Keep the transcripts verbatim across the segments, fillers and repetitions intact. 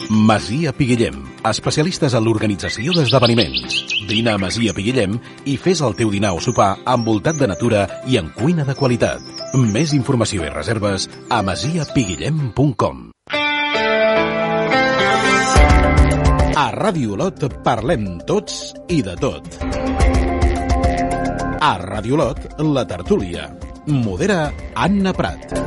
Masia Piguillem, especialistes en l'organització d'esdeveniments. Vine a Masia Piguillem i fes el teu dinar o sopar envoltat de natura i en cuina de qualitat. Més informació i reserves a masia piguillem punt com. A Ràdio Olot parlem tots i de tot. A Ràdio Olot, la tertúlia. Modera Anna Prat.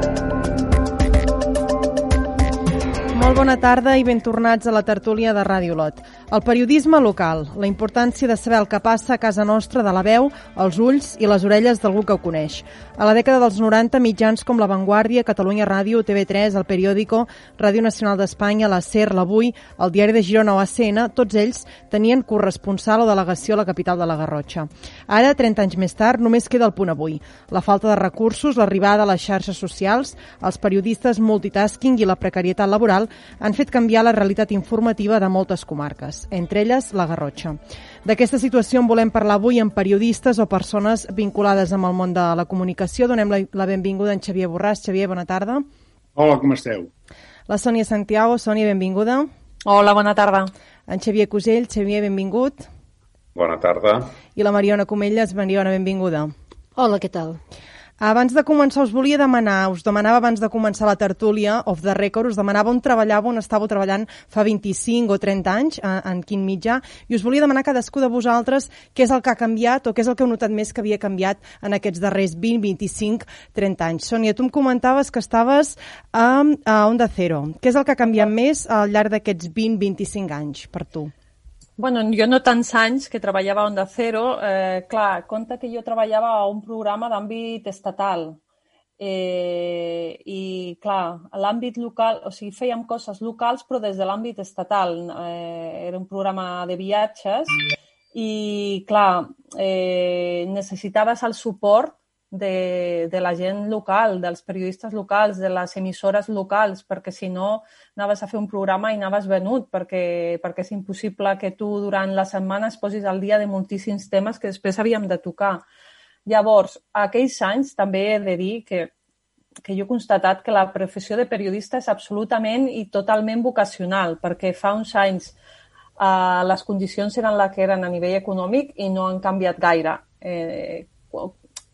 Molt bona tarda i ben tornats a la tertúlia de Ràdio Olot. El periodisme local, la importància de saber el que passa a casa nostra de la veu, els ulls i les orelles d'algú que ho coneix. A la dècada dels noranta, mitjans com La Vanguardia, Catalunya Ràdio, T V tres, El Periódico, Ràdio Nacional d'Espanya, la SER, l'Avui, el Diari de Girona o A C N, tots ells tenien corresponsal o delegació a la capital de la Garrotxa. Ara, trenta anys més tard, només queda el punt avui. La falta de recursos, l'arribada a les xarxes socials, els periodistes multitasking i la precarietat laboral han fet canviar la realitat informativa de moltes comarques, entre elles la Garrotxa. D'aquesta situació en volem parlar avui amb periodistes o persones vinculades amb el món de la comunicació. Donem la, la benvinguda a en Xavier Borràs. Xavier, bona tarda. Hola, com esteu? La Sònia Santiago. Sònia, benvinguda. Hola, bona tarda. En Xavier Cusell. Xavier, benvingut. Bona tarda. I la Mariona Comelles. Mariona, benvinguda. Hola, què tal? Abans de començar, us volia demanar, us demanava abans de començar la tertúlia, off the record, us demanava on treballàveu, on estàveu treballant fa vint-i-cinc o trenta anys, en, en quin mitjà, i us volia demanar a cadascú de vosaltres què és el que ha canviat o què és el que heu notat més que havia canviat en aquests darrers vint, vint-i-cinc, trenta anys. Sònia, tu em comentaves que estaves a, a Onda Cero. Què és el que ha canviat més al llarg d'aquests vint, vint-i-cinc anys per tu? Bueno, jo no tants anys que treballava a Onda Cero. Eh, clar, compte que jo treballava a un programa d'àmbit estatal. Eh, I, clar, a l'àmbit local, o sigui, fèiem coses locals, però des de l'àmbit estatal. Eh, era un programa de viatges i, clar, eh, necessitaves el suport de, de la gent local, dels periodistes locals, de les emissores locals, perquè si no anaves a fer un programa i anaves venut, perquè, perquè és impossible que tu durant la setmana es posis al dia de moltíssims temes que després havíem de tocar. Llavors, aquells anys també he de dir que, que jo he constatat que la professió de periodista és absolutament i totalment vocacional, perquè fa uns anys eh, les condicions eren les que eren a nivell econòmic i no han canviat gaire. Eh,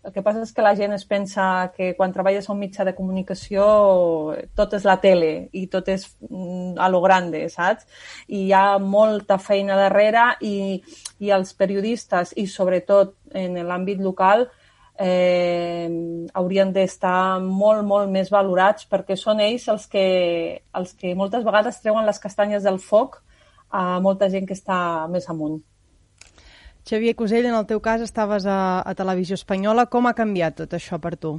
El que passa és que la gent es pensa que quan treballes a un mitjà de comunicació tot és la tele i tot és a lo grande, saps? I hi ha molta feina darrere i, i els periodistes, i sobretot en l'àmbit local, eh, haurien d'estar molt, molt més valorats perquè són ells els que, els que moltes vegades treuen les castanyes del foc a molta gent que està més amunt. Xavier Cusell, en el teu cas estaves a, a Televisió Espanyola. Com ha canviat tot això per tu?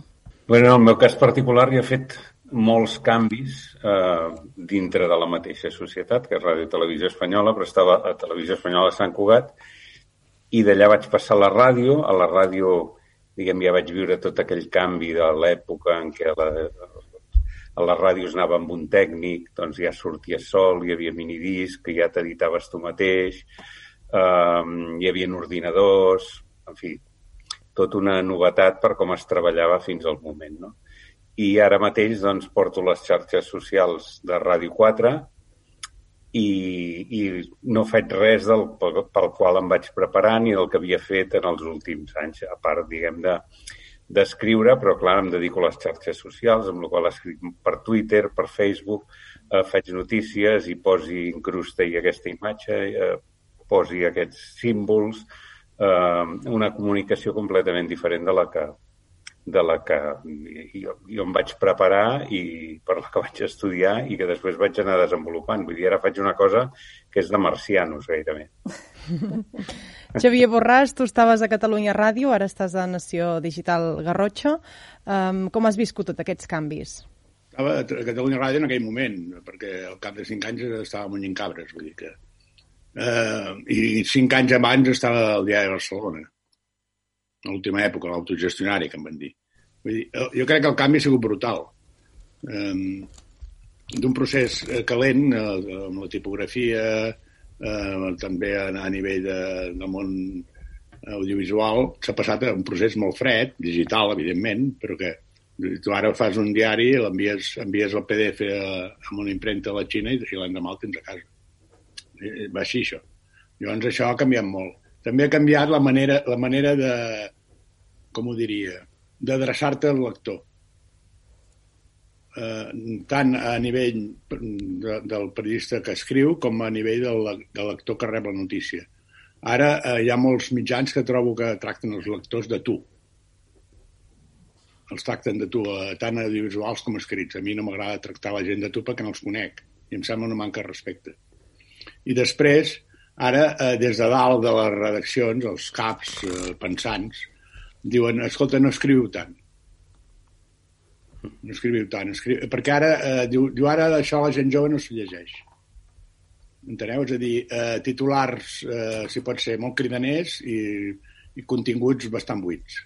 Bueno, en el meu cas particular hi ha fet molts canvis eh, dintre de la mateixa societat, que és Ràdio Televisió Espanyola, però estava a Televisió Espanyola de Sant Cugat, i d'allà vaig passar a la ràdio. A la ràdio, diguem, ja vaig viure tot aquell canvi de l'època en què la, a les ràdios anava amb un tècnic, doncs ja sortia sol, hi havia minidisc, que ja t'editaves tu mateix, Uh, hi havia ordinadors, en fi, tot una novetat per com es treballava fins al moment, no? I ara mateix doncs, porto les xarxes socials de Ràdio quatre i, i no faig res del, pel, pel qual em vaig preparant i del que havia fet en els últims anys, a part, diguem, de, d'escriure, però clar, em dedico a les xarxes socials, amb la qual escric per Twitter, per Facebook, eh, faig notícies i posi, incrusta-hi aquesta imatge, eh, posi aquests símbols, eh, una comunicació completament diferent de la que, de la que jo, jo em vaig preparar i per la que vaig estudiar i que després vaig anar desenvolupant. Vull dir, ara faig una cosa que és de marcianos, gairebé. Xavier Borràs, tu estaves a Catalunya Ràdio, ara estàs a Nació Digital Garrotxa. Um, com has viscut tots aquests canvis? Estava a Catalunya Ràdio en aquell moment, perquè al cap de cinc anys estava munyint cabres, vull dir que... Uh, i cinc anys abans estava al Diari de Barcelona, en l'última època, l'autogestionari, que em van dir. Vull dir, jo crec que el canvi ha sigut brutal. Um, d'un procés calent, uh, amb la tipografia, uh, també a, a nivell de, del món audiovisual, s'ha passat a un procés molt fred, digital, evidentment, però que Tu ara fas un diari, l'envies envies el P D F a, a una impremta a la Xina i, i l'endemà el tens a casa. I, va així, això. Llavors, això ha canviat molt. També ha canviat la manera, la manera de, com ho diria, d'adreçar-te al lector. Eh, tant a nivell de, del periodista que escriu com a nivell del, del lector que rep la notícia. Ara eh, hi ha molts mitjans que trobo que tracten els lectors de tu. Els tracten de tu, eh, tant audiovisuals com escrits. A mi no m'agrada tractar la gent de tu perquè no els conec i em sembla una manca de respecte. I després, ara, eh, des de dalt de les redaccions, els caps eh, pensants, diuen, escolta, no escriviu tant. No escriviu tant. Escriu... Perquè ara, eh, diu, diu, ara això la gent jove no s'ho llegeix. Enteneu? És a dir, eh, titulars, eh, si pot ser, molt cridaners i, i continguts bastant buits.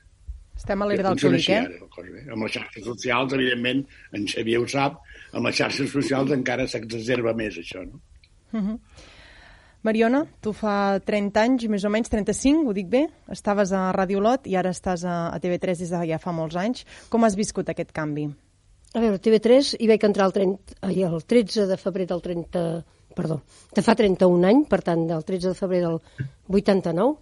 Estem a l'era del clic, eh? eh? Amb les xarxes socials, evidentment, en Xavier ho sap, amb les xarxes socials encara s'exacerba més, això, no? Uh-huh. Mariona, tu fa trenta anys, més o menys, trenta-cinc, ho dic bé? Estaves a Ràdio Olot i ara estàs a, a T V tres des de ja fa molts anys. Com has viscut aquest canvi? A veure, T V tres hi vaig entrar el, trenta, ai, el tretze de febrer del trenta... Perdó, de fa trenta-un anys, per tant, del tretze de febrer del vuitanta-nou,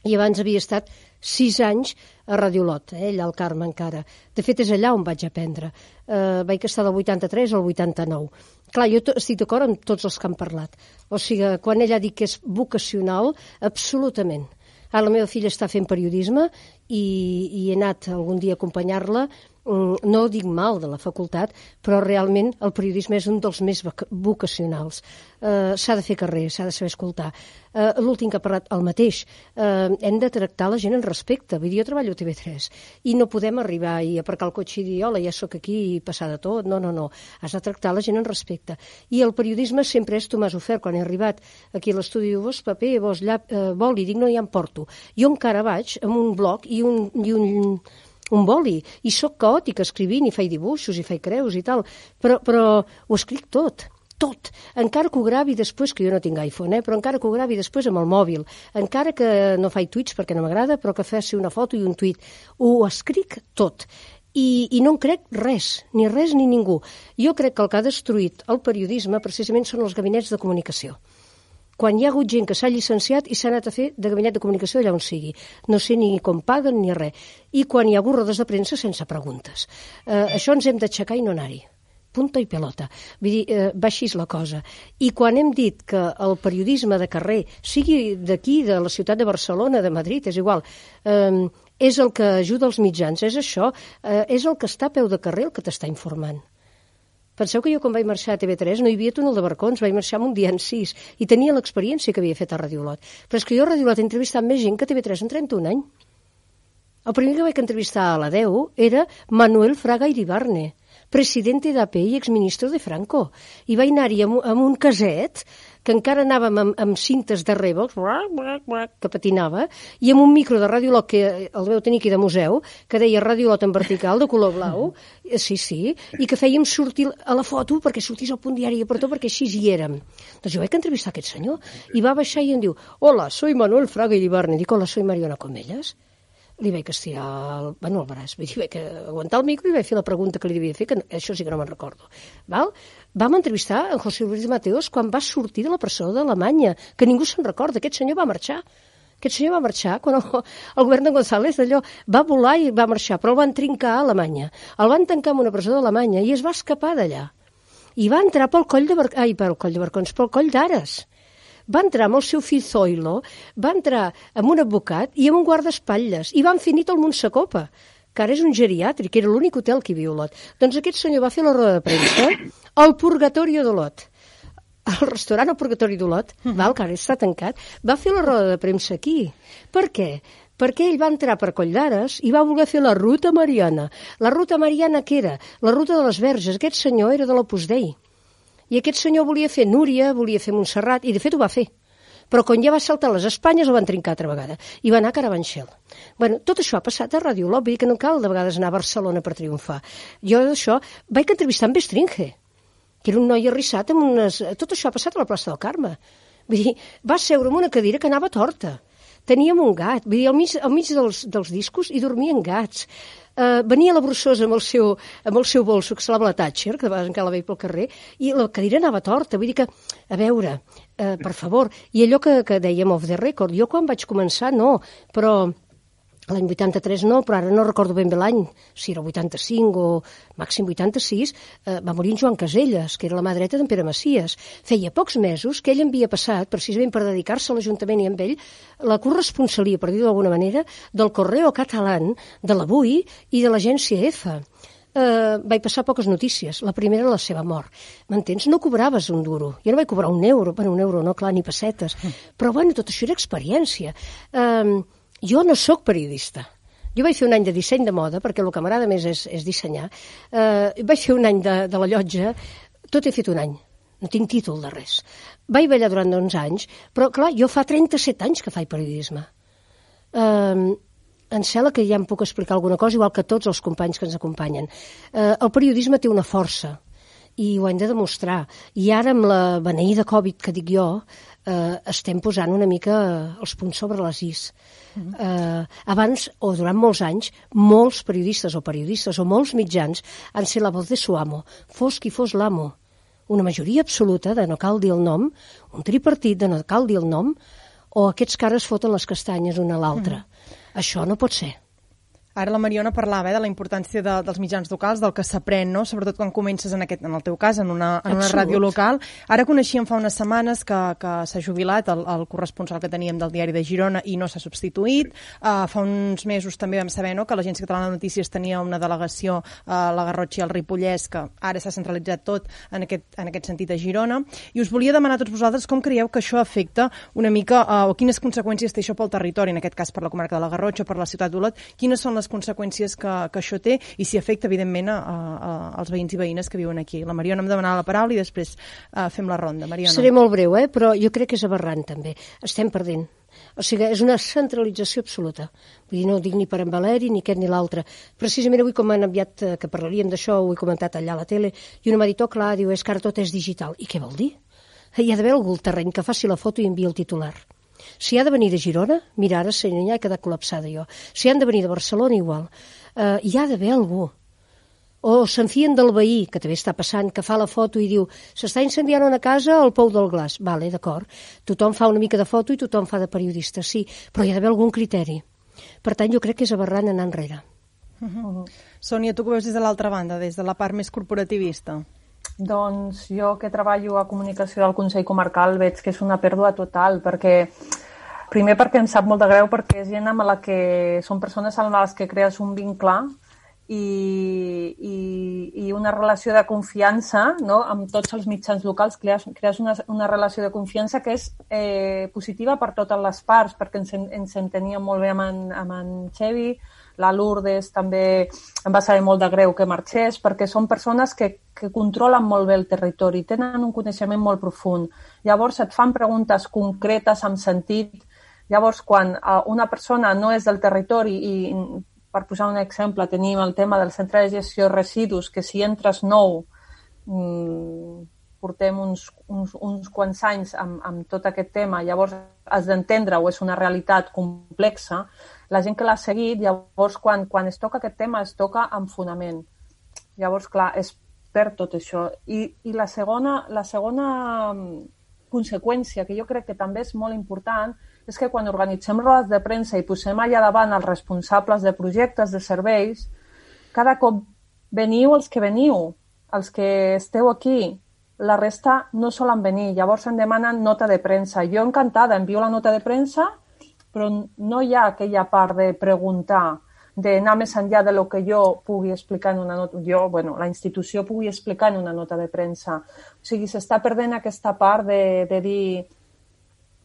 i abans havia estat sis anys a Ràdio Olot, eh, allà al Carme encara. De fet, és allà on vaig aprendre. Eh, vaig estar del vuitanta-tres al vuitanta-nou. Clar, jo estic d'acord amb tots els que han parlat. O sigui, quan ella ha dit que és vocacional, absolutament. Ara la meva filla està fent periodisme i, i he anat algun dia a acompanyar-la. No dic mal de la facultat, però realment el periodisme és un dels més vocacionals. Uh, s'ha de fer carrer, s'ha de saber escoltar. Uh, L'últim que ha parlat, el mateix. Uh, hem de tractar la gent en respecte. Vull dir, jo treballo a T V tres i no podem arribar i aparcar el cotxe i dir, hola, ja sóc aquí i passar de tot. No, no, no. Has de tractar la gent en respecte. I el periodisme sempre és, tu m'has ofert, quan he arribat aquí a l'estudi, vos paper, vos llap, uh, boli, dic, no, ja em porto. Jo encara vaig amb un bloc i un... I un un boli, i sóc caòtic escrivint, i faig dibuixos, i faig creus i tal, però, però ho escric tot, tot. Encara que ho gravi després, que jo no tinc iPhone, eh, però encara que ho gravi després amb el mòbil, encara que no faig tuits perquè no m'agrada, però que faci una foto i un tuit, ho escric tot. I, i no en crec res, ni res ni ningú. Jo crec que el que ha destruït el periodisme precisament són els gabinets de comunicació. Quan hi ha hagut gent que s'ha llicenciat i s'ha anat a fer de gabinet de comunicació allà on sigui. No sé ni com paguen ni res. I quan hi ha hagut rodes de premsa sense preguntes. Eh, això ens hem d'aixecar i no anar-hi. Punta i pelota. Vull dir, eh, va així la cosa. I quan hem dit que el periodisme de carrer, sigui d'aquí, de la ciutat de Barcelona, de Madrid, és igual, eh, és el que ajuda els mitjans, és això, eh, és el que està a peu de carrer el que t'està informant. Penseu que jo quan vaig marxar a T V tres no hi havia túnel de barcons, vaig marxar amb un dia en sis i tenia l'experiència que havia fet a Ràdio Olot. Però és que jo a Ràdio Olot he entrevistat més gent que a T V tres en trenta-un anys. El primer que vaig entrevistar a la deu era Manuel Fraga Iribarne, presidente d'A P i exministre de Franco. I vaig anar-hi amb, amb un caset que encara anàvem amb, amb cintes de Revox, que patinava, i amb un micro de Ràdio Olot, que el veu tenir aquí de museu, que deia Ràdio Olot en vertical, de color blau, sí, sí, i que fèiem sortir a la foto perquè sortís al Punt Diari i per tot, perquè així hi érem. Doncs jo vaig entrevistar aquest senyor, i va baixar i em diu, hola, soy Manuel Fraga Iribarne. Dic, hola, soy Mariona Comelles. Li vaig estirar el, bueno, el braç, vull dir, vaig aguantar el micro i vaig fer la pregunta que li devia fer, que això sí que no me'n recordo. Val? Vam entrevistar en José Luis Mateos quan va sortir de la presó d'Alemanya, que ningú se'n recorda, aquest senyor va marxar. Aquest senyor va marxar quan el, el govern de González d'allò va volar i va marxar, però el van trincar a Alemanya. El van tancar en una presó d'Alemanya i es va escapar d'allà. I va entrar pel coll de Barcons, ai, pel coll de Barcons, pel coll d'Ares. Va entrar amb el seu fill Zoilo, va entrar amb un advocat i amb un guardaespatlles, i van fer nit al Montsecopa, que ara és un geriàtric, que era l'únic hotel que hi havia a Olot. Doncs aquest senyor va fer la roda de premsa al Purgatorio d'Olot, al restaurant al Purgatori d'Olot, val, que ara està tancat, va fer la roda de premsa aquí. Per què? Perquè ell va entrar per Coll d'Ares i va voler fer la ruta mariana. La ruta mariana què era? La ruta de les Verges. Aquest senyor era de l'Opus Dei. I aquest senyor volia fer Núria, volia fer Montserrat, i de fet ho va fer. Però quan ja va saltar les Espanyes el van trincar altra vegada. I va anar a Carabanchel. Bueno, tot això ha passat a Ràdio Olot, vull dir que no cal de vegades anar a Barcelona per triomfar. Jo d'això vaig entrevistar amb Bestringe, que era un noi arrissat amb unes... Tot això ha passat a la plaça del Carme. Vull dir, va seure en una cadira que anava torta. Teníem un gat, vull dir, al mig, al mig dels, dels discos hi dormien gats. Uh, venia la Brussosa amb el seu, amb el seu bolso, que se l'ava la Thatcher, que de vegades encara la veia pel carrer, i la cadira anava torta. Vull dir que, a veure, uh, per favor, i allò que, que dèiem off the record, jo quan vaig començar no, però l'any vuitanta-tres no, però ara no recordo ben bé l'any, si era vuitanta-cinc o màxim vuitanta-sis, eh, va morir en Joan Caselles, que era la mà dreta d'en Pere Macias. Feia pocs mesos que ell havia passat, precisament per dedicar-se a l'Ajuntament i amb ell, la corresponsalia, per dir-ho d'alguna manera, del Correo Catalán, de l'Avui i de l'Agència EFA. Uh, vaig passar poques notícies. La primera, la seva mort. M'entens? No cobraves un duro. Jo no vaig cobrar un euro, bueno, un euro no, clar, ni pessetes. Però, bueno, tot això era experiència. Uh, Jo no sóc periodista. Jo vaig fer un any de disseny de moda, perquè el que m'agrada més és, és dissenyar. Uh, vaig fer un any de, de la llotja, tot he fet un any. No tinc títol de res. Vaig ballar durant onze anys, però, clar, jo fa trenta-set anys que faig periodisme. Uh, em sembla que ja em puc explicar alguna cosa, igual que tots els companys que ens acompanyen. Uh, el periodisme té una força, i ho hem de demostrar. I ara, amb la beneïda Covid, que dic jo, eh, estem posant una mica els punts sobre les is. Mm-hmm. eh, abans, o durant molts anys, molts periodistes o periodistes o molts mitjans han set la voz de su amo, fos qui fos l'amo. Una majoria absoluta de no cal dir el nom, un tripartit de no cal dir el nom, o aquests cares foten les castanyes una a l'altra. Mm-hmm. Això no pot ser. Ara la Mariona parlava eh, de la importància de, dels mitjans locals, del que s'aprèn, no? Sobretot quan comences, en, aquest, en el teu cas, en una, en una ràdio local. Ara coneixíem fa unes setmanes que, que s'ha jubilat el, el corresponsal que teníem del Diari de Girona i no s'ha substituït. Uh, fa uns mesos també vam saber no, que l'Agència Catalana de Notícies tenia una delegació a la Garrotxa i al Ripollès, que ara s'ha centralitzat tot en aquest, en aquest sentit a Girona. I us volia demanar a tots vosaltres com creieu que això afecta una mica, uh, o quines conseqüències té això pel territori, en aquest cas per la comarca de la Garrotxa, per la ciutat d'Olot, quines són les conseqüències que, que això té i si afecta, evidentment, a, a, als veïns i veïnes que viuen aquí. La Mariona em demanava la paraula i després uh, fem la ronda. Mariona. Seré molt breu, eh? Però jo crec que és aberrant, també. Estem perdent. O sigui, és una centralització absoluta. Vull dir, no ho dic ni per en Valeri, ni aquest ni l'altre. Precisament avui, com m'han enviat que parlaríem d'això, ho he comentat allà a la tele, i un m'ha dit, oh, clar, diu, és que ara tot és digital. I què vol dir? Hi ha d'haver algú al terreny que faci la foto i enviï el titular. Si ha de venir de Girona, mira, ara ja he quedat col·lapsada jo. Si han de venir de Barcelona, igual. Uh, hi ha d'haver algú. O s'enfien del veí, que també està passant, que fa la foto i diu s'està incendiant una casa al Pou del Glaç. Vale, d'acord. Tothom fa una mica de foto i tothom fa de periodista, sí, però hi ha d'haver algun criteri. Per tant, jo crec que és aberrant anar enrere. Uh-huh. Sònia, tu que veus des de l'altra banda, des de la part més corporativista? Doncs jo que treballo a comunicació del Consell Comarcal veig que és una pèrdua total, perquè primer perquè em sap molt de greu, perquè és gent amb la que són persones amb les que crees un vincle i, i, i una relació de confiança, no? Amb tots els mitjans locals crees, crees una, una relació de confiança que és eh, positiva per totes les parts, perquè ens, ens enteníem molt bé amb en, amb en Xevi, la Lourdes també em va saber molt de greu que marxés, perquè són persones que, que controlen molt bé el territori, tenen un coneixement molt profund. Llavors et fan preguntes concretes amb sentit. Llavors, quan una persona no és del territori i, per posar un exemple, tenim el tema del centre de gestió de residus, que si entres nou, mmm, portem uns, uns, uns quants anys amb, amb tot aquest tema, llavors has d'entendre-ho, és una realitat complexa. La gent que l'ha seguit, llavors, quan, quan es toca aquest tema, es toca amb fonament. Llavors, clar, es perd tot això. I, i la segona, la segona conseqüència, que jo crec que també és molt important, és que quan organitzem rodes de premsa i posem allà davant els responsables de projectes, de serveis, cada cop veniu els que veniu, els que esteu aquí, la resta no solen venir, llavors em demanen nota de premsa. Jo encantada, envio la nota de premsa, però no hi ha aquella part de preguntar, d'anar més enllà de lo que jo pugui explicar en una nota, jo, bueno, la institució pugui explicar en una nota de premsa. O sigui, s'està perdent aquesta part de, de dir,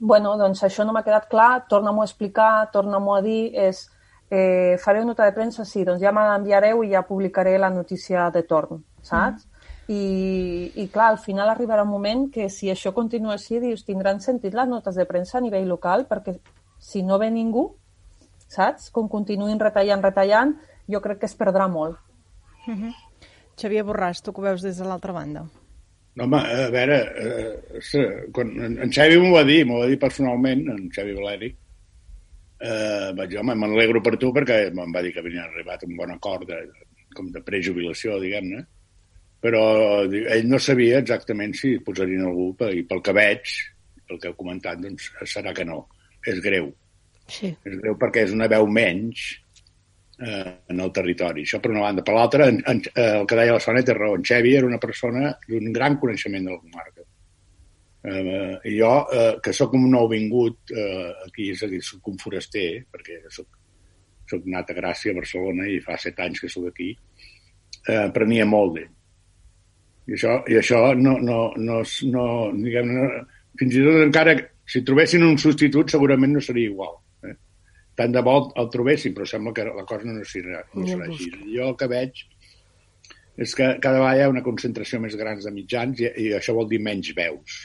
bueno, doncs això no m'ha quedat clar, torna-m'ho a explicar, torna-m'ho a dir, és, eh, fareu nota de premsa, sí, doncs ja me l'enviareu i ja publicaré la notícia de torn, saps? Mm. I, i clar, al final arribarà un moment que si això continua així, dius, tindran sentit les notes de premsa a nivell local, perquè si no ve ningú, saps? Com continuïn retallant, retallant, jo crec que es perdrà molt. Uh-huh. Xavier Borràs, tu que ho veus des de l'altra banda. No, home, a veure, eh, quan, en Xavi m'ho va dir, m'ho va dir personalment, en Xavi Valeri, eh, vaig dir, home, m'alegro per tu perquè em va dir que havien arribat a un bon acord de, com de prejubilació, diguem-ne, però ell no sabia exactament si posarien algú, i pel que veig, pel que heu comentat, doncs serà que no. És greu. Sí. És greu perquè és una veu menys eh, en el territori. Això per una banda. Per l'altra, en, en, el que deia la Sònia té raó. En Xevi era una persona d'un gran coneixement de la comarca. Eh, I jo, eh, que sóc un nouvingut eh, aquí, és a dir, sóc un foraster, perquè sóc, sóc nat a Gràcia, a Barcelona, i fa set anys que sóc aquí, eh, aprenia molt d'ell. I això, i això no, no, no, no, diguem, no, fins i tot encara, si trobessin un substitut, segurament no seria igual. Eh? Tant de bo el trobessin, però sembla que la cosa no serà, no serà així. Jo el que veig és que cada vegada hi ha una concentració més gran de mitjans i, i això vol dir menys veus.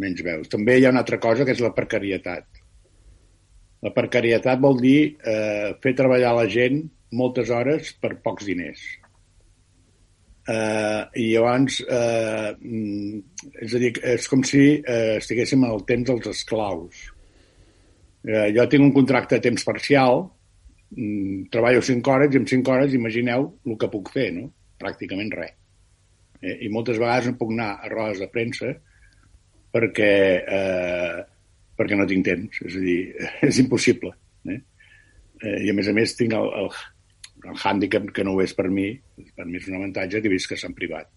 Menys veus. També hi ha una altra cosa que és la precarietat. La precarietat vol dir eh, fer treballar la gent moltes hores per pocs diners. Uh, i llavors uh, és a dir, és com si uh, estiguéssim al temps dels esclaus. Uh, jo tinc un contracte a temps parcial, um, treballo cinc hores i en cinc hores imagineu el que puc fer, no? Pràcticament res. Eh, I moltes vegades no puc anar a rodes de premsa perquè, uh, perquè no tinc temps, és a dir, és impossible. Eh? Uh, I a més a més tinc el, el el hàndicap que no ho és per mi, per mi és un avantatge que he vist que s'han privat,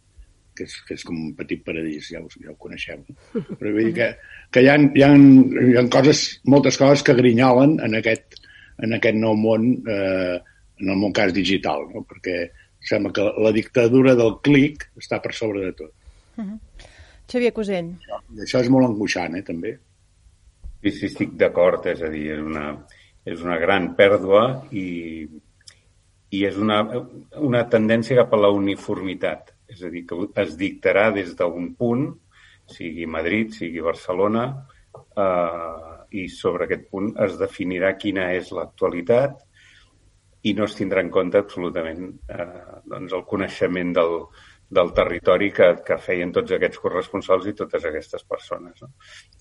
que és, que és com un petit paradís, ja ho, ja ho coneixeu. Però vull dir que, que hi, ha, hi, ha, hi ha coses, moltes coses que grinyolen en aquest, en aquest nou món, eh, en el món cas digital, no? Perquè sembla que la dictadura del clic està per sobre de tot. Uh-huh. Xavier Cosell. I això és molt angoixant, eh, també. Sí, sí, estic d'acord, és a dir, és una, és una gran pèrdua i i és una, una tendència cap a la uniformitat. És a dir, que es dictarà des d'un punt, sigui Madrid, sigui Barcelona, eh, i sobre aquest punt es definirà quina és l'actualitat i no es tindrà en compte absolutament eh, doncs el coneixement del, del territori que, que feien tots aquests corresponsals i totes aquestes persones. No?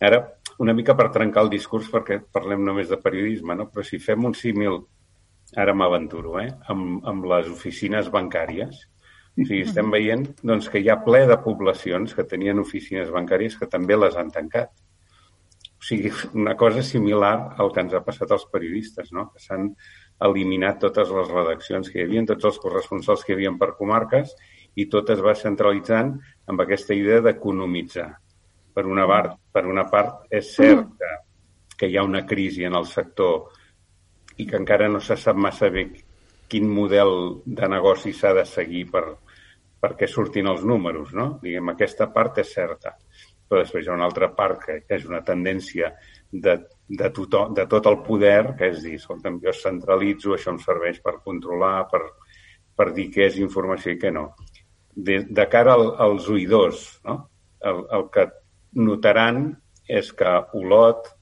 Ara, una mica per trencar el discurs, perquè parlem només de periodisme, no? Però si fem un símil, ara m'aventuro, eh? amb, amb les oficines bancàries. O sigui, estem veient doncs, que hi ha ple de poblacions que tenien oficines bancàries que també les han tancat. O sigui, una cosa similar al que ens ha passat als periodistes, no? Que s'han eliminat totes les redaccions que hi havia, tots els corresponsals que hi havia per comarques, i tot es va centralitzant amb aquesta idea d'economitzar. Per una part, per una part és cert que, que hi ha una crisi en el sector i que encara no se sap massa bé quin model de negoci s'ha de seguir per, perquè surtin els números, no? Diguem, aquesta part és certa. Però després hi ha una altra part que, que és una tendència de, de, tothom, de tot el poder, que és dir, escolta'm, jo centralitzo, això em serveix per controlar, per, per dir què és informació i què no. De, de cara al, als oïdors, no? El, el que notaran és que Olot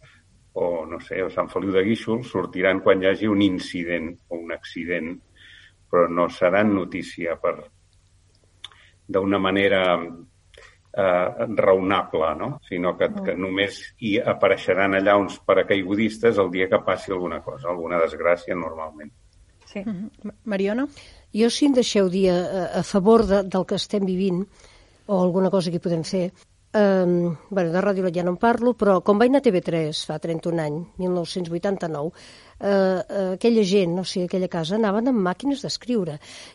o, no sé, o Sant Feliu de Guíxols sortiran quan hi hagi un incident o un accident, però no seran notícia per d'una manera eh, raonable, no? Sinó que, que només hi apareixeran allà uns paracaigudistes el dia que passi alguna cosa, alguna desgràcia normalment. Sí. Mariona? Jo, si em deixeu dir a, a favor de, del que estem vivint, o alguna cosa que hi podem fer, Um, bueno, de Ràdio Lot ja no en parlo, però com vaig anar a T V tres fa trenta-un anys, mil nou-cents vuitanta-nou, uh, uh, aquella gent, no sé, aquella casa, anaven amb màquines d'escriure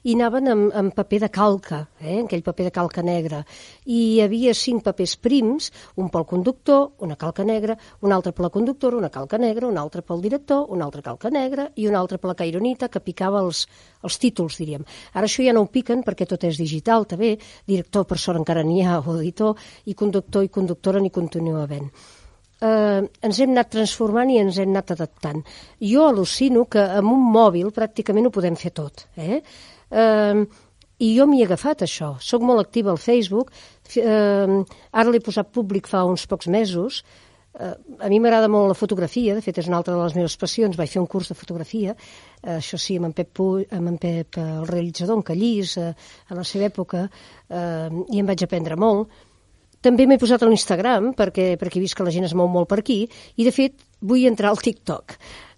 i anaven amb, amb paper de calca, eh, aquell paper de calca negra, i hi havia cinc papers prims, un pel conductor, una calca negra, un altre per la conductora, una calca negra, un altre pel director, una altra calca negra i un altre per la caironita que picava els, els títols, diríem. Ara això ja no ho piquen perquè tot és digital, també, director per sort encara n'hi ha, o editor, i conductor i conductora n'hi continua havent. Eh, ens hem anat transformant i ens hem anat adaptant. Jo al·lucino que amb un mòbil pràcticament ho podem fer tot. Eh? Eh, I jo m'hi he agafat, això. Soc molt activa al Facebook. Eh, ara l'he posat públic fa uns pocs mesos. Eh, a mi m'agrada molt la fotografia, de fet és una altra de les meves passions. Vaig fer un curs de fotografia, eh, això sí, amb en Pep, Puig, amb en Pep el realitzador, en Callís, eh, a la seva època, eh, i em vaig aprendre molt. també m'he posat a l'Instagram, perquè, perquè he vist que la gent es mou molt per aquí, i de fet vull entrar al TikTok.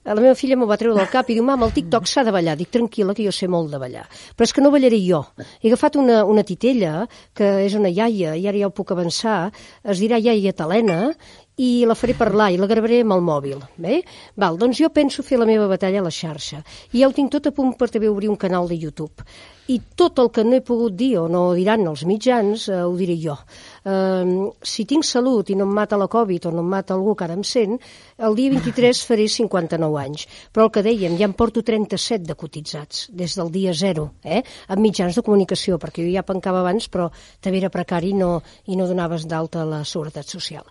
La meva filla m'ho va treure del cap i diu, mama, el TikTok s'ha de ballar. Dic, tranquil·la, que jo sé molt de ballar. Però és que no ballaré jo. He agafat una, una titella, que és una iaia, i ara ja ho puc avançar, es dirà iaia Talena, i la faré parlar i la gravaré amb el mòbil. Bé? Val, doncs jo penso fer la meva batalla a la xarxa. I ja ho tinc tot a punt per també obrir un canal de YouTube. I tot el que no he pogut dir o no diran els mitjans, eh, ho diré jo. Eh, si tinc salut i no em mata la Covid o no em mata algú que ara em sent, el dia vint-i-tres faré cinquanta-nou anys. Però el que dèiem, ja em porto trenta-set de cotitzats, des del dia zero, eh? Amb mitjans de comunicació, perquè jo ja pencava abans, però també era precari no, i no donaves d'alta la seguretat social.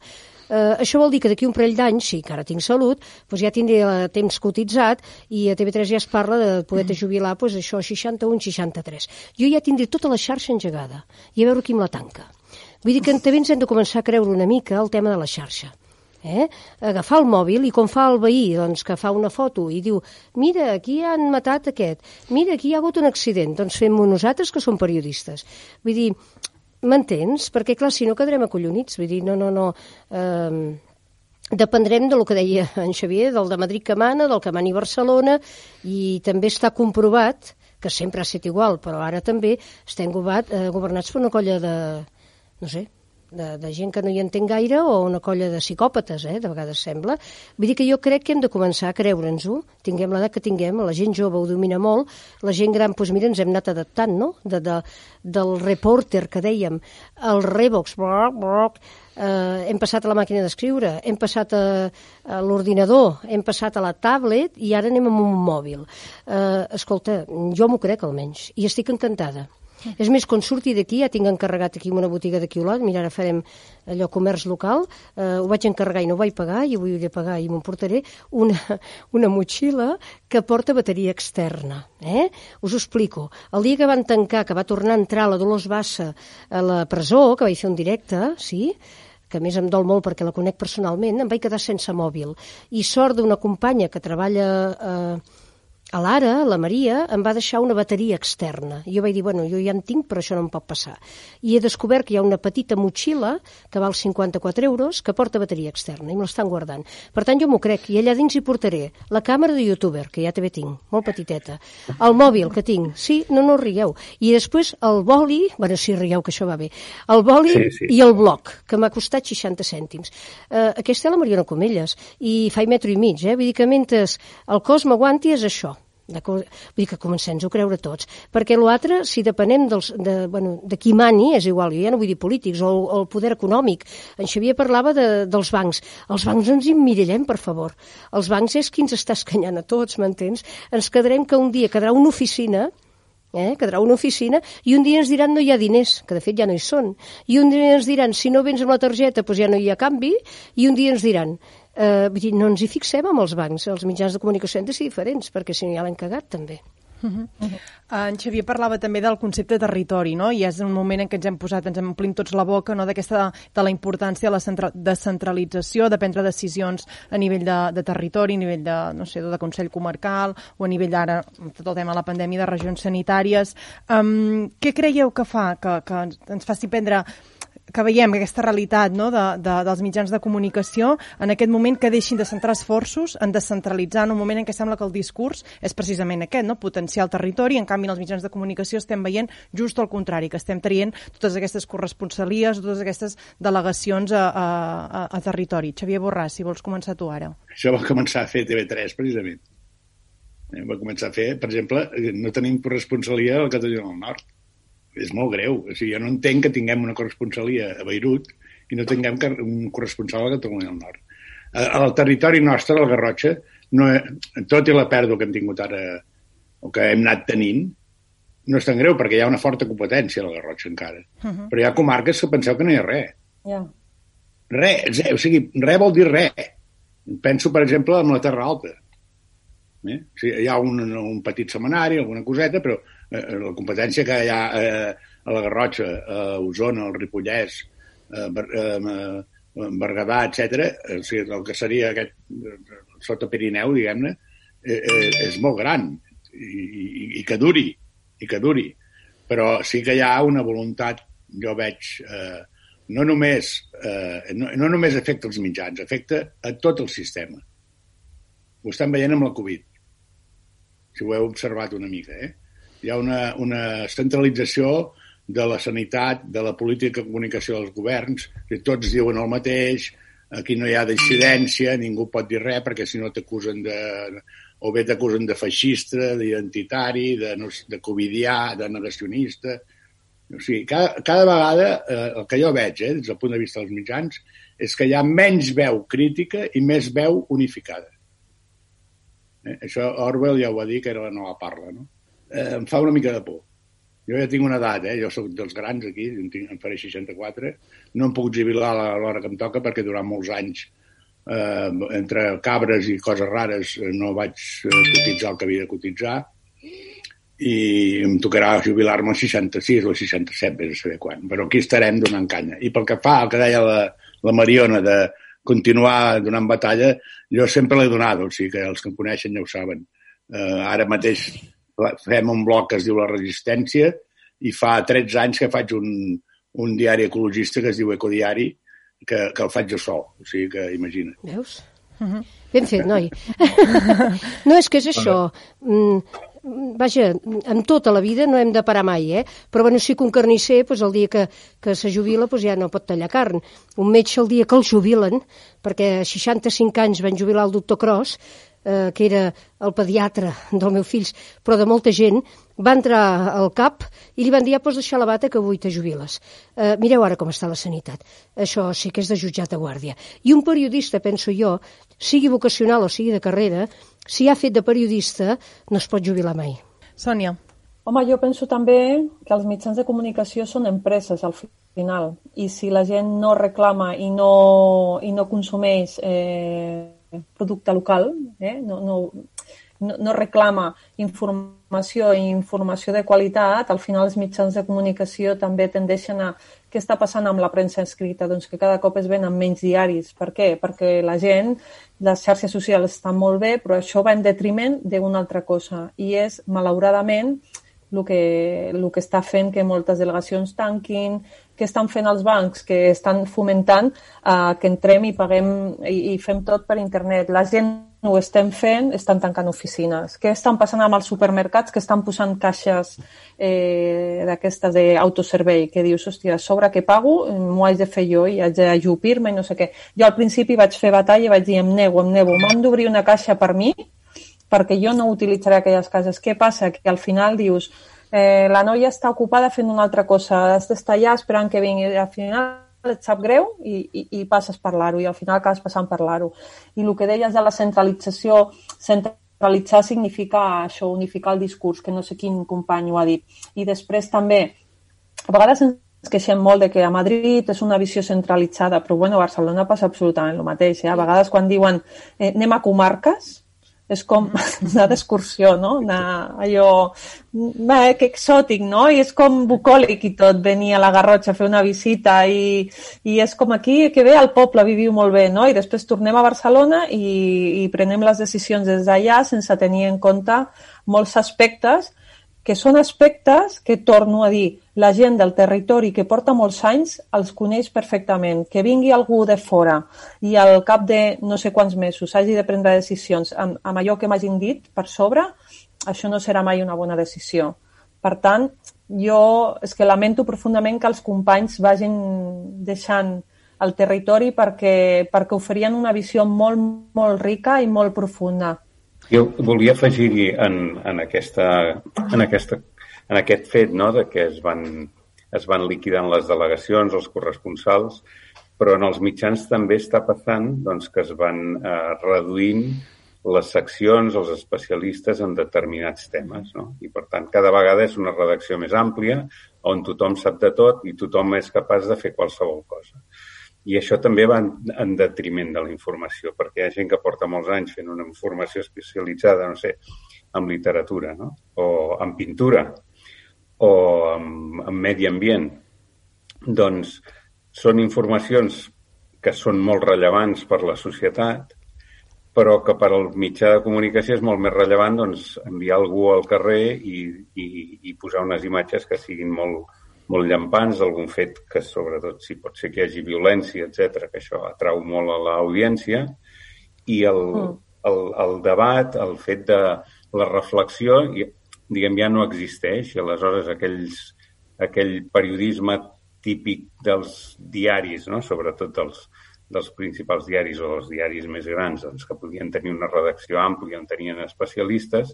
Uh, això vol dir que d'aquí un parell d'anys, sí que ara tinc salut, doncs ja tindré uh, temps cotitzat i a T V tres ja es parla de poder-te jubilar doncs això, seixanta-un, seixanta-tres. Jo ja tindré tota la xarxa engegada i a veure qui me la tanca. Vull dir que també ens hem de començar a creure una mica el tema de la xarxa. Eh? Agafar el mòbil i com fa el veí, doncs, que fa una foto i diu, mira, aquí han matat aquest, mira, aquí hi ha hagut un accident, doncs fem-ho nosaltres que som periodistes. Vull dir, m'entens? Perquè, clar, si no quedarem acollonits. Vull dir, no, no, no... Eh, dependrem del que deia en Xavier, del de Madrid que mana, del que mani Barcelona, i també està comprovat, que sempre ha estat igual, però ara també estem governat, eh, governats per una colla de... no sé... De, de gent que no hi entén gaire o una colla de psicòpates, eh, de vegades sembla. Vull dir que jo crec que hem de començar a creure'ns-ho, tinguem l'edat que tinguem, la gent jove ho domina molt, la gent gran, doncs mira, ens hem anat adaptant, no?, de, de, del reporter que dèiem, el Revox, broc, broc, eh, hem passat a la màquina d'escriure, hem passat a, a l'ordinador, hem passat a la tablet i ara anem amb un mòbil. Eh, escolta, jo m'ho crec almenys, i estic encantada. És més, quan surti d'aquí, ja tinc encarregat aquí una botiga d'aquí Olot, mira, ara farem allò comerç local, eh, ho vaig encarregar i no ho vaig pagar, i avui ho he de pagar i m'ho portaré, una, una motxilla que porta bateria externa. Eh? Us ho explico. El dia que van tancar, que va tornar a entrar la Dolors Bassa a la presó, que vaig fer un directe, sí?, que a més em dol molt perquè la conec personalment, em vaig quedar sense mòbil. I sort d'una companya que treballa... Eh, a l'Ara, la Maria, em va deixar una bateria externa. I jo vaig dir, bueno, jo ja en tinc, però això no em pot passar. I he descobert que hi ha una petita motxilla que val cinquanta-quatre euros que porta bateria externa i me l'estan guardant. Per tant, jo m'ho crec. I allà dins hi portaré la càmera de youtuber, que ja també tinc, molt petiteta, el mòbil que tinc, sí, no, no rigueu. I després el boli, bueno, sí, rigueu, que això va bé, el boli sí, sí. I el bloc, que m'ha costat seixanta cèntims. Uh, aquesta és la Mariona Comelles, i fa i metro i mig, eh? Vull dir que mentre el cos m'aguanti és això. Vull dir que comencem-nos a creure tots, perquè l'altre, si depenem dels, de, bueno, de qui mani, és igual, jo ja no vull dir polítics, o, o el poder econòmic. En Xavier parlava de, dels bancs. Els bancs ens immirallem, per favor. Els bancs és qui ens està escanyant a tots, m'entens? Ens quedarem que un dia quedarà una oficina, eh, quedarà una oficina, i un dia ens diran no hi ha diners, que de fet ja no hi són, i un dia ens diran si no vens amb la targeta doncs ja no hi ha canvi, i un dia ens diran Uh, vull dir, no ens hi fixem amb els bancs, els mitjans de comunicació han de ser diferents, perquè si no ja l'hem cagat també. Uh-huh. Uh-huh. En Xavier parlava també del concepte de territori, no? I és un moment en què ens hem posat, ens omplim tots la boca, no? D'aquesta, de la importància de la centra, descentralització, de prendre decisions a nivell de, de territori, a nivell de, no sé, de Consell Comarcal, o a nivell d'ara, tot el tema de la pandèmia, de regions sanitàries. Um, què creieu que fa que, que ens faci prendre... que veiem aquesta realitat, no, de, de, dels mitjans de comunicació en aquest moment que deixin de centrar esforços en descentralitzar en un moment en què sembla que el discurs és precisament aquest, no, potenciar el territori, en canvi en els mitjans de comunicació estem veient just el contrari, que estem traient totes aquestes corresponsalies, totes aquestes delegacions a, a, a, a territori. Xavier Borràs, si vols començar tu ara. Això va començar a fer T V tres, precisament. Va començar a fer, per exemple, no tenim corresponsalia al Catalunya del Nord. És molt greu. O sigui, jo no entenc que tinguem una corresponsalia a Beirut i no tinguem un corresponsal a Catalunya del Nord. Al territori nostre, a la Garrotxa, no, tot i la pèrdua que hem tingut ara, o que hem anat tenint, no és tan greu, perquè hi ha una forta competència a la Garrotxa encara. Uh-huh. Però hi ha comarques que penseu que no hi ha res. Yeah. Res, o sigui, res vol dir res. Penso, per exemple, en la Terra Alta. Eh? O sigui, hi ha un, un petit setmanari, alguna coseta, però eh, la competència que hi ha eh, a la Garrotxa, a Osona, al Ripollès, a eh, Berguedà, etcètera, o sigui, el que seria aquest sota Pirineu, diguem-ne, eh, eh, és molt gran i, i, i que duri, i que duri. Però sí que hi ha una voluntat, jo veig, eh, no només, eh, no, no només afecta els mitjans, afecta a tot el sistema. Ho estan veient amb la Covid, si ho heu observat una mica. Eh? Hi ha una, una centralització de la sanitat, de la política de comunicació dels governs, que tots diuen el mateix, aquí no hi ha dissidència, ningú pot dir res, perquè si no t'acusen de... o bé t'acusen de feixista, d'identitari, de, de covidià, de negacionista. O sigui, cada, cada vegada, eh, el que jo veig, eh, des del punt de vista dels mitjans, és que hi ha menys veu crítica i més veu unificada. Eh? Això Orwell ja ho va dir, que era la nova parla, no? Eh, em fa una mica de por. Jo ja tinc una edat, eh? Jo soc dels grans aquí, em, tinc, em faré seixanta-quatre, no em puc jubilar a l'hora que em toca perquè durant molts anys, eh, entre cabres i coses rares, no vaig cotitzar el que havia de cotitzar, i em tocarà jubilar-me als seixanta-sis o als seixanta-set, vés a saber quan, però aquí estarem donant canya. I pel que fa al que deia la, la Mariona de continuar donant batalla, jo sempre l'he donat, o sigui que els que em coneixen ja ho saben. Eh, ara mateix fem un bloc que es diu La Resistència i fa tretze anys que faig un, un diari ecologista que es diu Ecodiari, que, que el faig jo sol, o sigui que imagina't. Veus? Uh-huh. Ben fet, noi. No, és que és això. Mm, vaja, en tota la vida no hem de parar mai, eh? Però bueno, sí que un carnisser, doncs, el dia que, que se jubila, doncs, ja no pot tallar carn. Un metge, el dia que el jubilen, perquè a seixanta-cinc anys van jubilar el doctor Cros, eh, que era el pediatre del meu fill, però de molta gent, va entrar al cap i li van dir, ja pots deixar la bata que avui te jubiles. Eh, mireu ara com està la sanitat. Això sí que és de jutjat de guàrdia. I un periodista, penso jo, sigui vocacional o sigui de carrera, si ha fet de periodista, no es pot jubilar mai. Sònia. Home, jo penso també que els mitjans de comunicació són empreses, al final. I si la gent no reclama i no, i no consumeix eh, producte local, eh, no... no No, no reclama informació i informació de qualitat, al final els mitjans de comunicació també tendeixen a... Què està passant amb la premsa escrita? Doncs que cada cop es venen menys diaris. Per què? Perquè la gent, les xarxes socials estan molt bé, però això va en detriment d'una altra cosa. I és, malauradament, el que, el que està fent que moltes delegacions tanquin, que estan fent els bancs, que estan fomentant eh, que entrem i paguem i, i fem tot per internet. La gent ho estem fent, estan tancant oficines. Què estan passant amb els supermercats que estan posant caixes eh, d'aquestes d'autoservei, que dius, hòstia, a sobre que pago, m'ho haig de fer jo i haig d'ajupir-me i no sé què. Jo al principi vaig fer batalla i vaig dir, em nego, em nego, m'han d'obrir una caixa per mi, perquè jo no utilitzaré aquelles cases. Què passa? Que al final dius, eh, la noia està ocupada fent una altra cosa, has d'estar allà esperant que vingui, al final et sap greu i, i, i passes a parlar-ho i al final acabes passant a parlar-ho. I el que deies de la centralització, centralitzar significa això, unificar el discurs, que no sé quin company ho ha dit. I després també, a vegades ens queixem molt de que a Madrid és una visió centralitzada, però bueno, a Barcelona passa absolutament el mateix. Eh? A vegades quan diuen eh, anem a comarques, és com anar d'excursió, no? Anar allò, bé, que exòtic, no? I és com bucòlic i tot, venir a la Garrotxa a fer una visita i, i és com aquí, que bé, al poble viviu molt bé, no? I després tornem a Barcelona i, i prenem les decisions des d'allà sense tenir en compte molts aspectes que són aspectes que, torno a dir, la gent del territori que porta molts anys els coneix perfectament. Que vingui algú de fora i al cap de no sé quants mesos hagi de prendre decisions amb, amb allò que m'hagin dit per sobre, això no serà mai una bona decisió. Per tant, jo és que lamento profundament que els companys vagin deixant el territori perquè, perquè oferien una visió molt, molt rica i molt profunda. Jo volia afegir-hi en, en, aquesta, en, aquesta, en aquest fet, no?, de que es van, es van liquidant les delegacions, els corresponsals, però en els mitjans també està passant doncs, que es van eh, reduint les seccions, els especialistes en determinats temes, no? I, per tant, cada vegada és una redacció més àmplia on tothom sap de tot i tothom és capaç de fer qualsevol cosa. I això també va en, en detriment de la informació, perquè hi ha gent que porta molts anys fent una informació especialitzada, no sé, en literatura, no?, o en pintura, o en, en medi ambient. Doncs són informacions que són molt rellevants per la societat, però que per al mitjà de comunicació és molt més rellevant doncs, enviar algú al carrer i, i, i posar unes imatges que siguin molt, molt llampants, algun fet que sobretot si pot ser que hi hagi violència, etcètera, que això atrau molt a l'audiència, i el, mm. el, el debat, el fet de la reflexió, diguem, ja no existeix, i aleshores aquells, aquell periodisme típic dels diaris, no? Sobretot dels, dels principals diaris o dels diaris més grans, doncs, que podien tenir una redacció àmplia, on tenien especialistes,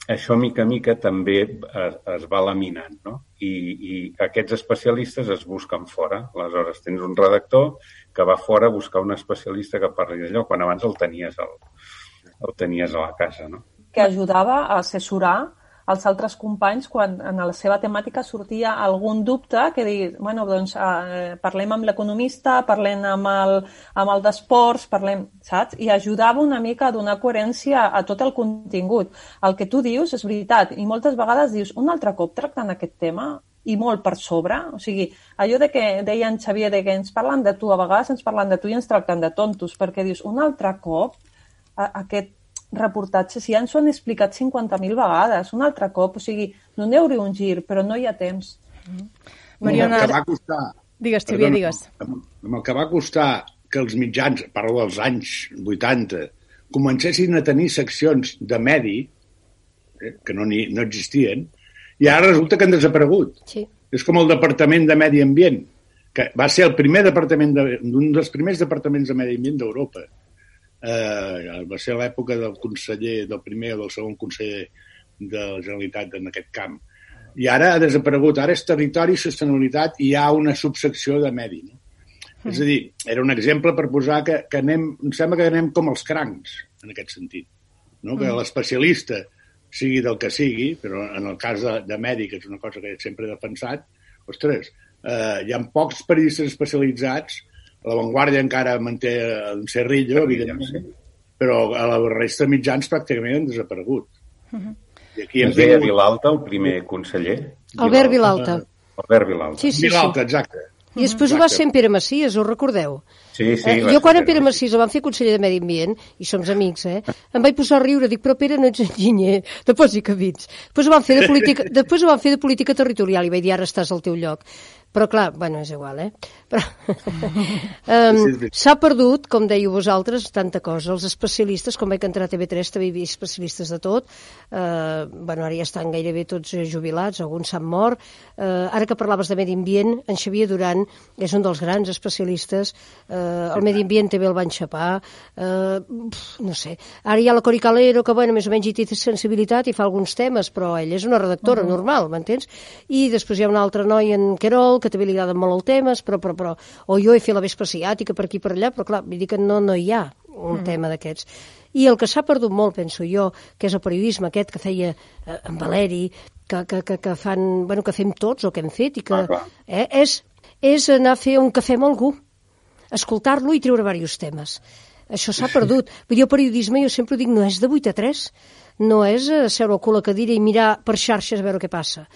això mica a mica també es, es va laminant, no? I, i aquests especialistes es busquen fora. Aleshores tens un redactor que va fora a buscar un especialista que parli d'allò, quan abans el tenies, el, el tenies a la casa, no? Que ajudava a assessorar als altres companys quan en la seva temàtica sortia algun dubte que dir, bueno, doncs eh, parlem amb l'economista, parlem amb el, amb el d'esports, parlem, saps? I ajudava una mica a donar coherència a tot el contingut. El que tu dius és veritat, i moltes vegades dius, un altre cop tractant aquest tema, i molt per sobre, o sigui, allò de que deia en Xavier, de que ens parlen de tu, a vegades ens parlen de tu i ens tracten de tontos, perquè dius, un altre cop, a, aquest reportatges ja ens ho han explicat cinquanta mil vegades, un altre cop, o sigui, donem-hi un gir, però no hi ha temps. Mm. Mariona, el que va costar... Digues, Xavier, digues. Amb el que va costar que els mitjans, parlo dels anys vuitanta, comencessin a tenir seccions de medi, eh, que no, ni, no existien, i ara resulta que han desaparegut. Sí. És com el Departament de Medi Ambient, que va ser el primer departament de, un dels primers departaments de Medi Ambient d'Europa. Uh, va ser l'època del conseller, del primer o del segon conseller de la Generalitat en aquest camp. I ara ha desaparegut. Ara és territori i sostenibilitat i hi ha una subsecció de medi. No? Mm. És a dir, era un exemple per posar que, que anem, em sembla que anem com els crancs, en aquest sentit. No? Que mm. l'especialista sigui del que sigui, però en el cas de, de medi, que és una cosa que sempre he defensat, ostres, uh, hi ha pocs periodistes especialitzats. La Vanguardia encara manté un Cerrillo, evidentment, però a la resta de mitjans pràcticament han desaparegut. Uh-huh. I aquí ens deia Vilalta, el primer conseller. Albert Vilalta. Albert Vilalta. Sí, sí, Vilalta, sí. exacte. I després ho va ser en Pere Macias, ho recordeu? Sí, sí. Eh, jo quan en Pere Macias el van fer conseller de Medi Ambient, i som amics, eh, em vaig posar a riure, dic, però Pere no ets enginyer, de pots i cabits. Després ho van fer de política, després ho van fer de política territorial i vaig dir, ara estàs al teu lloc. Però clar, bueno, és igual, eh? Però um, s'ha perdut, com dèieu vosaltres, tanta cosa. Els especialistes, com vaig entrar a T V tres, també hi havia especialistes de tot. Uh, bueno, ara ja estan gairebé tots jubilats, alguns s'han mort. Uh, ara que parlaves de medi ambient, en Xavier Duran és un dels grans especialistes. Uh, el medi ambient també el van xapar. Uh, no sé. Ara hi ha la Cori Calero, que bueno, més o menys hi té sensibilitat i fa alguns temes, però ella és una redactora uh-huh. normal, m'entens? I després hi ha un altre noi, en Querol, que també li agraden molt els temes, però, però, però, o jo he fet la vespa asiàtica per aquí per allà, però clar, vull dir que no, no hi ha un mm. tema d'aquests. I el que s'ha perdut molt, penso jo, que és el periodisme aquest que feia eh, en Valeri, que, que, que, que fan, bueno, que fem tots, o que hem fet, i que ah, eh, és, és anar a fer un cafè amb algú, escoltar-lo i treure diversos temes. Això s'ha perdut. Vull dir, el periodisme, jo sempre dic, no és de vuit a tres, no és seure al cul a cadira i mirar per xarxes a veure què passa.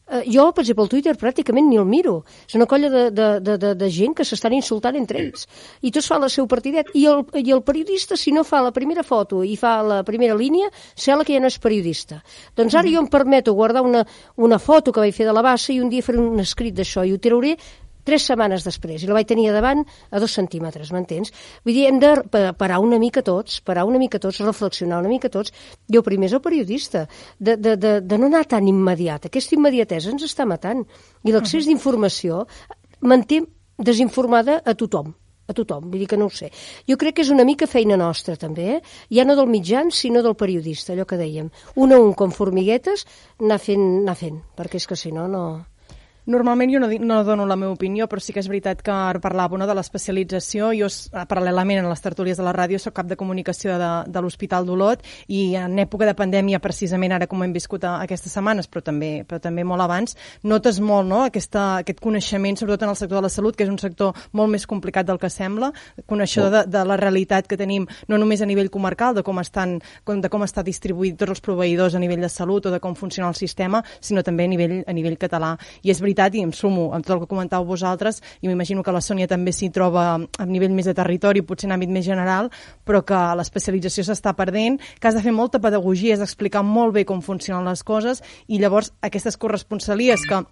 Uh, jo, per exemple, el Twitter pràcticament ni el miro. És una colla de, de, de, de, de gent que s'estan insultant entre ells. I tots fan el seu partidet. I el, I el periodista, si no fa la primera foto i fa la primera línia, sembla que ja no és periodista. Doncs ara jo em permeto guardar una, una foto que vaig fer de la bassa i un dia faré un escrit d'això i ho trauré tres setmanes després, i la vaig tenir a davant a dos centímetres, m'entens? Vull dir, hem de parar una mica tots, parar una mica tots, reflexionar una mica tots. Jo primer és el periodista, de, de, de, de no anar tan immediat. Aquesta immediatesa ens està matant. I l'accés d'informació manté desinformada a tothom. A tothom, vull dir que no ho sé. Jo crec que és una mica feina nostra, també, eh? Ja no del mitjan, sinó del periodista, allò que dèiem. Un a un, com formiguetes, anar fent, anar fent, perquè és que si no, no... Normalment jo no, no dono la meva opinió, però sí que és veritat que parlava no, de l'especialització. Jo, paral·lelament, en les tertúlies de la ràdio, soc cap de comunicació de, de l'Hospital d'Olot i en època de pandèmia, precisament ara com hem viscut a, aquestes setmanes, però també, però també molt abans, notes molt no, aquesta, aquest coneixement, sobretot en el sector de la salut, que és un sector molt més complicat del que sembla, coneixedor de, de la realitat que tenim, no només a nivell comarcal, de com, estan, de com està distribuït tots els proveïdors a nivell de salut o de com funciona el sistema, sinó també a nivell, a nivell català. I és veritat, i em sumo amb tot el que comentàveu vosaltres, i m'imagino que la Sònia també s'hi troba a nivell més de territori, potser en àmbit més general, però que l'especialització s'està perdent, que has de fer molta pedagogia, has d'explicar molt bé com funcionen les coses, i llavors aquestes corresponsalies que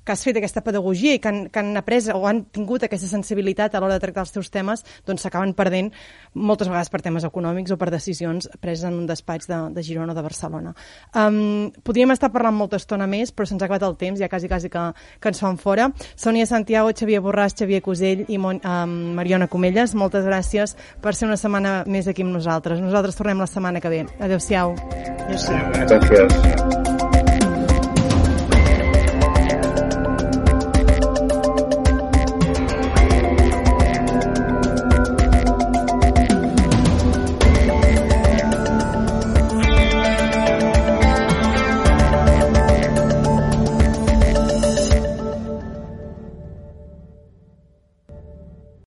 que has fet aquesta pedagogia i que han, que han après o han tingut aquesta sensibilitat a l'hora de tractar els teus temes, doncs s'acaben perdent moltes vegades per temes econòmics o per decisions preses en un despatx de, de Girona o de Barcelona. Um, podríem estar parlant molta estona més, però se'ns ha acabat el temps, ja quasi quasi que, que ens fan fora. Sònia Santiago, Xavier Borràs, Xavier Cusell i Mon, um, Mariona Comelles, moltes gràcies per ser una setmana més aquí amb nosaltres. Nosaltres tornem la setmana que ve. Adéu-siau. Adéu-siau. Gràcies.